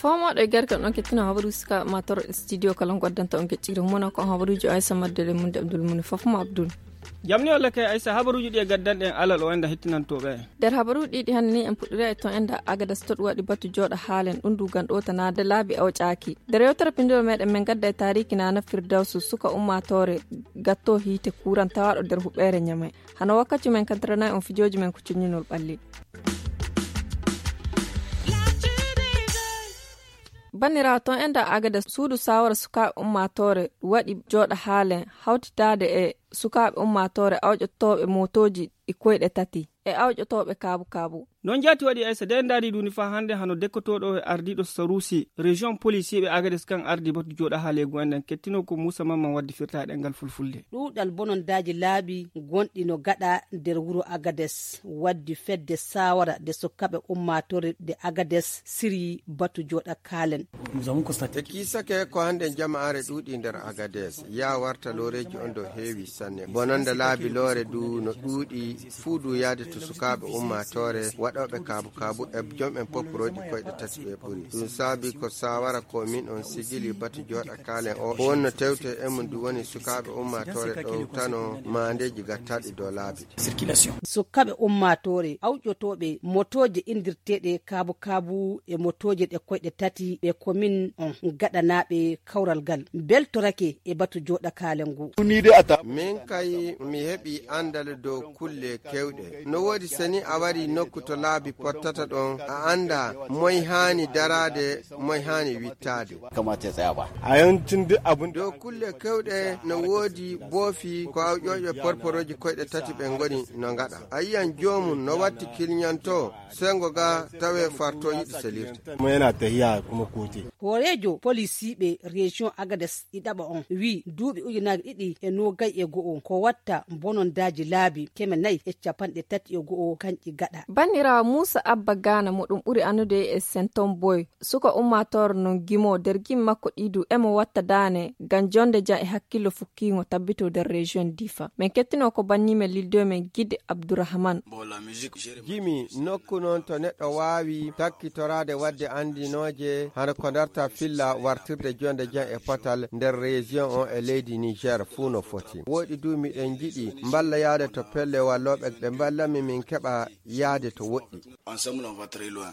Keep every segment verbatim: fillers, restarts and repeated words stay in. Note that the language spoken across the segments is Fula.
Fomooɗo e gargal ɗon kettino habaruuji suka mator studio kala goddanta on gecciri humono ko habaruuji o aysa maddele mun de abdul muni fof mo abdul. Jamni walla kay aysa habaruuji ɗi e gaddanɗen alal o enda hettinantooɓe en. Nder habaruuji ɗiɗi hannde ni en puɗɗira e ton enda agadas toɗu waɗi batu jooɗa haalen ɗum dugan ɗotanaade laabi o ƴaaki. Nder yewtere pinndol meɗen min gadda e taariki nana firdawsu suka ummaatoore gatto hiite kuran tawaaɗo nder huɓeere ñamay. Hano wakkati men kaddaranayi on fijooji men ko cuññinol ɓalli. Banniraawo ton enda agada suudu sawara sukaaɓe ummaatoore waɗi jooɗa haalen hawtitaade e sukaaɓe ummaatoore awƴotooɓe mootooji ɗi koyɗe tati e awƴotooɓe kaabu kaabu. Non jaati waɗi aysa de ndaari duni faa hannde hano dekkotooɗo e ardiiɗo saruusi région policier ɓe agades kan ardi batu jooɗa haaleegu en ɗen kettino ko muusa mamman waddi firtaa ɗengal fulfulde. Ɗuuɗal bonondaaji laabi gonɗi no gaɗa nder wuro agades waddi fedde saawara nde sukkaɓe ummaatore nde agades siryi batu jooɗa kaalen. E kiisake ko hannden jama'aare ɗuuɗi nder agades yaa warta looreeji on ɗo heewi sanne bononda laabi loore du no ɗuuɗi fuu du yaade to sukaaɓe ummaatoore waɗooɓe kaabu kaabu e jom'en popporooji koyɗe tati ɓe ɓuri ɗum saabi ko saawara ko min on sigili batu jooɗa kaalen o ko wonno tewte e mum du woni sukaaɓe ummaatoore ɗowtano maandeeji gattaaɗi dow laabi. Sukkaɓe ummaatoore awƴotooɓe motooje indirteeɗe kaabu kaabu e motooje ɗe koyɗe tati ɓe komin on gaɗanaaɓe kawral ngal beltorake e batu jooɗa kaalen ngu. Min kay mi heɓi anndal dow kulle kewɗe no woodi seni a wari nokku to laabi pottata ɗon a annda moy haani daraade moy haani wittaade. Kamata ya tsaya ba. A yawancin duk abin da dow kulle kewɗe no woodi boofi ko awƴooɓe porporooji koyɗe tati ɓe ngoni no ngaɗa a yiyan joomum no watti kilñanto sengo ga tawe farto yiɗi selirde. Kuma yana tahiya kuma kote. Hooreejo polisiiɓe région agades ɗiɗaɓa on wii duuɓi ujunaaji ɗiɗi e noogay e go'o ko watta bonondaaji laabi keme nayi e capanɗe tati e go'o kanƴi gaɗa. Banniraawo muusa abba gaana mo ɗum ɓuri annude e senton boy suka ummaatoore non gimo nder gimi makko ɗiɗu emo watta daane ngam jonde jam e hakkillo fukkiingo tabbito nder région difa min kettino ko bannimen lildoy men gide abdourahman. Gimi nokku noon to neɗɗo waawi takkitoraade waɗde anndinooje hano ko darta filla wartirde jonde jam e potal nder région on e leydi niger fuu no foti woɗi du miɗen njiɗi mballa yaade to pelle wallooɓe ɓe mballanmi min keɓa yaade to woɗɗi.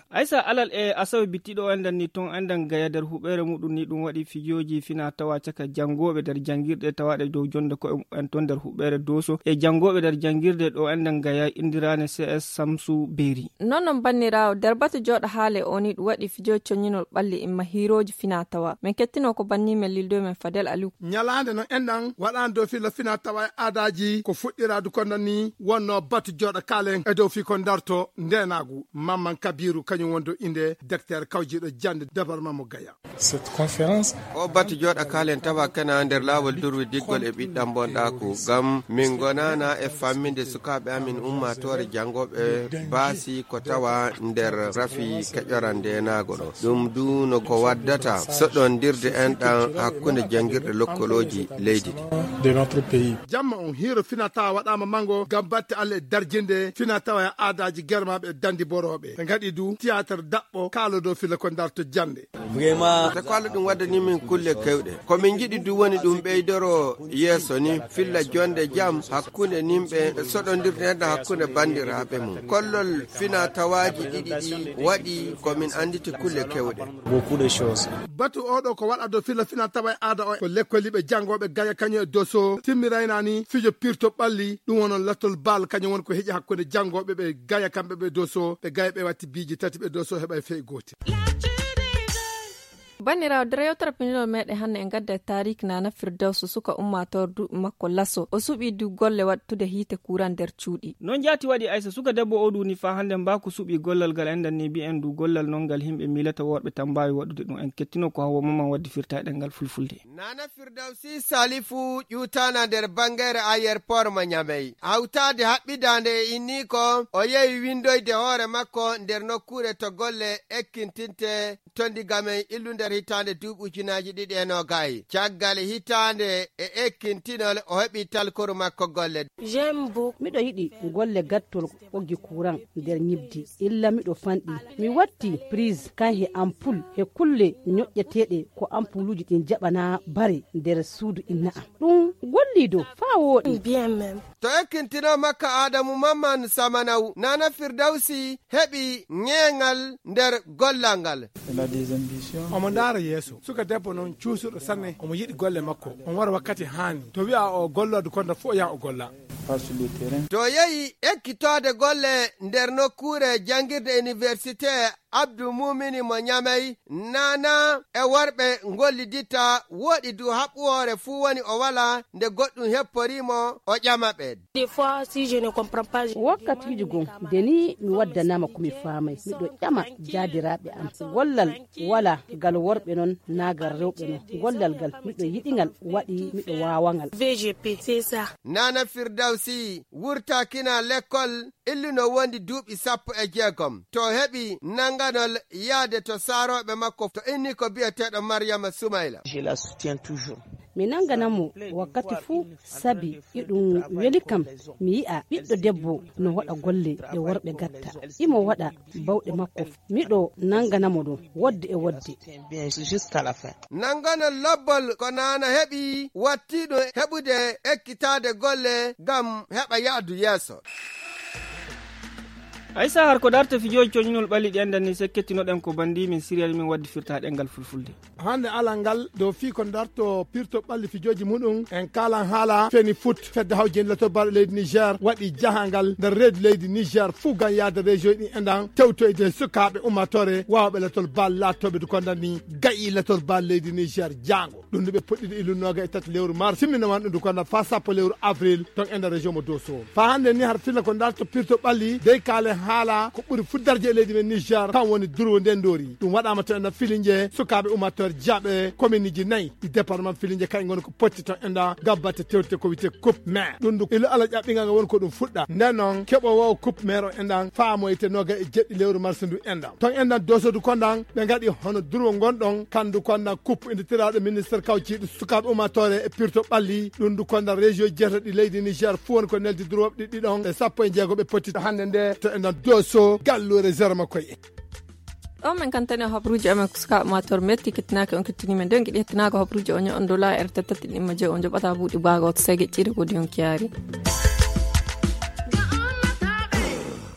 Aysa alal e asawe bittiɗo o enɗan ni ton enɗan gaya nder huɓeere muɗum ni ɗum waɗi fijooji fina tawa caka janngooɓe nder janngirɗe tawaaɗe dow jonnde ko'e mumen ton nder huɓeere dooso e janngooɓe nder janngirde ɗo enɗan gaya inndiraane cs samsu beeri. Non non banniraawo nder batu jooɗa haale o ni ɗum waɗi fijooji coññinol ɓalli imma hiirooji fina tawa min kettino ko banni men lildo men fadel aliw. Ñalaande non enɗan waɗaani dow filla fina tawa e aadaaji ko fuɗɗiraadu ko non ni wonno batu jooɗa kaalen e dow fii ko darto ndeenaagu mamman kabiru kañum woni dow innde docteur kawjiiɗo jannde dabar mammo gaya. Cette conférence. O batu jooɗa kaalen tawa kana nder laawol durwidiggol e ɓiɗɗam bonɗaaku ngam min ngonaana e famminde sukaaɓe amin ummaatoore janngooɓe baasi ko tawa nder rafi keƴoran ndeenaago ɗo ɗum du no ko waddata soɗondirde enɗan hakkunde janngirɗe lokkolooji leydi ɗi. De notre pays. Jamma on hiiro fina tawa waɗaama manngo ngam batte allah e darjinde fina tawa e aadaaji germaaɓe e danndiborooɓe ɓe ngaɗi du tiyaatar daɓɓo kaalo dow filla ko darto jannde. Vraiment. Te ko allah ɗum waddani min kulle kewɗe ko min njiɗi du woni ɗum ɓeydoro yeeso ni filla jonde jam hakkunde nimɓe soɗondirde enɗan hakkunde banndiraaɓe mum kollol fina tawaaji ɗiɗi ɗi waɗi ko min annditi kulle kewɗe. Beaucoup de choses. Batu oɗo ko waɗa dow filla fina tawa e aada o ko lekkoliɓe janngooɓe gaya kañum e doso timmiraynaani fijo pirto ɓalli ɗum wonon lattol baal kañum woni ko heƴi hakkunde janngooɓe ɓe gaya kamɓe ɓe doso ɓe gaya ɓe watti biiji tati ɓe doso heɓa e fey gootel. Banniraawo nder yewtere pinndinol meɗen hannde en ngadda e taariki nana firdawsu suka ummaatoore duuɓi makko laso o suɓii du golle waɗtude hiite kuuran nder cuuɗi. Non jaati waɗi aysa suka debbo o duuni faa hannde mbaaku suɓii gollal ngal enɗan ni mbi'en du gollal non ngal yimɓe miilata worɓe tan mbaawi waɗude ɗum en kettino ko hawa maman waddi firtaa ɗengal fulfulde. Nana firdawsi salifu ƴuutaana nder banngere ayer porma ñamey hawtaade haɓɓidaande e inniiko o yehi winndoyde hoore makko nder nokkuure to golle ekkintinte to ndigamen illunde. Hitaande duuɓi ujunaaji ɗiɗi e noogay, caggal hitaande e ekkintinol, o heɓi talkoru makko golle. Miɗo yiɗi golle gattol ɓoggi kuran nder ñibdi. Illa miɗo fanɗi. Mi watti prise kan he ampul he kulle ñoƴƴeteeɗe ko ampuluuji ɗin jaɓana bare nder suudu inna am. Ɗum golliido faa wooɗi. To ekkintinoo makka Aadamu Mamman Samanaw, Nana Firdawsi heɓi ñeeŋal nder gollal ngal. Omo ndaara yeeso. Suka debbo noon cuusuɗo sanne, omo yiɗi golle makko. On wara wakkati haani. To wi'a o golloodo konda fof, o yaha o golla. To yehi ekkitoode golle nder nokkuure janngirde université Abdou Mumini mo Ñamey, Nana e worɓe ngolliditta, wooɗi du haɓɓoore fuu woni o wala nde goɗɗum hepporii mo, o ƴama ɓe. Wakkatiiji goo, nde nii mi waddanaama ko mi faamay, miɗo ƴama jaadiraaɓe am. Gollal wala ngal worɓe non, naa ngal rewɓe non. Gollal ngal, miɗo yiɗi ngal, waɗi miɗo waawa ngal. Nana Firdawsi wurtaakina lekkol, illuno wondi duuɓi sappo e jeegom. To heɓi nannganol yaade to saarooɓe makko, to inni ko biyeteeɗo Maryama Sumayla. Mi nannganan mo wakkati fuu, sabi iɗum weli kam mi yi'a ɓiɗɗo debbo no waɗa golle ɗe worɓe gatta. Imo waɗa bawɗe makko. Miɗo nanngana mo ɗum wodde e wodde. Nannganol lobbol ko Nana heɓi, wattii ɗum heɓude ekkitaade golle ngam heɓa yahdu yeeso. Aysa, har ko darta fijooji coñinol ɓalli ɗi anndan ni, sekketinoɗen ko bandi min siriyal min waddi firta ɗemngal fulfulde. Hannde alal ngal, dow fii ko darto pirto ɓalli fijooji muɗum, en kaalan haala Feni Foot, fedde hawjinde latol bal leydi Niger waɗi jahangal nder reedu leydi Niger fuu ngam yahde région ɗin e ndan tewtoyde sukaaɓe ummatore waawɓe latol bal laatooɓe du kondan ni gayi latol bal leydi Niger jaango. Ɗum ndu ɓe puɗɗiɗo illu nooga e tati lewru mars, simmina wan ɗum du kondan faa sappo lewru avril ton e nder région mo Doso. Faa hannde ni har filla ko darto pirto ɓalli dey kaale haala ko ɓuri fuu darje e leydi men Niger, kan woni durwo nden ndoori. Ɗum waɗaama to enɗan Filinje, sukaaɓe ummatore jaaɓe kominiji nayi ɗi département Filinje, kañum ngoni ko potti ton enɗan gabbate tewte ko wiyetee coupe maire. Ɗum du ilo ala ƴaɓɓingal ngal woni ko ɗum fuɗɗa. Nden noon keɓoowo coupe maire o enɗan faamoyte nooga e jeɗɗi lewru mars ndu enɗan. Ton enɗan Doso du kondan ɓe ngaɗi hono durwo ngonɗon, kandu kondan coupe inditiraaɗo ministre kawciiɗo sukaaɓe ummatore e pirto ɓalli. Ɗum du kondan région jeetaɗi leydi Niger fuu woni ko neldi durwooɓe ɗiɗi ɗon e sappo e jeego ɓe potti hannde nde to enɗan Doso galluure zéro makko e. Ɗo men kantani habruuji amen ko sukaaɓe ummatore metti kettinaaki on kettini men. Nden giɗi hettinaaka habruuji o ño'on dola e rttt ɗimma je o joɓata buuɗi baago to sege ƴiire ko dion kiyaari.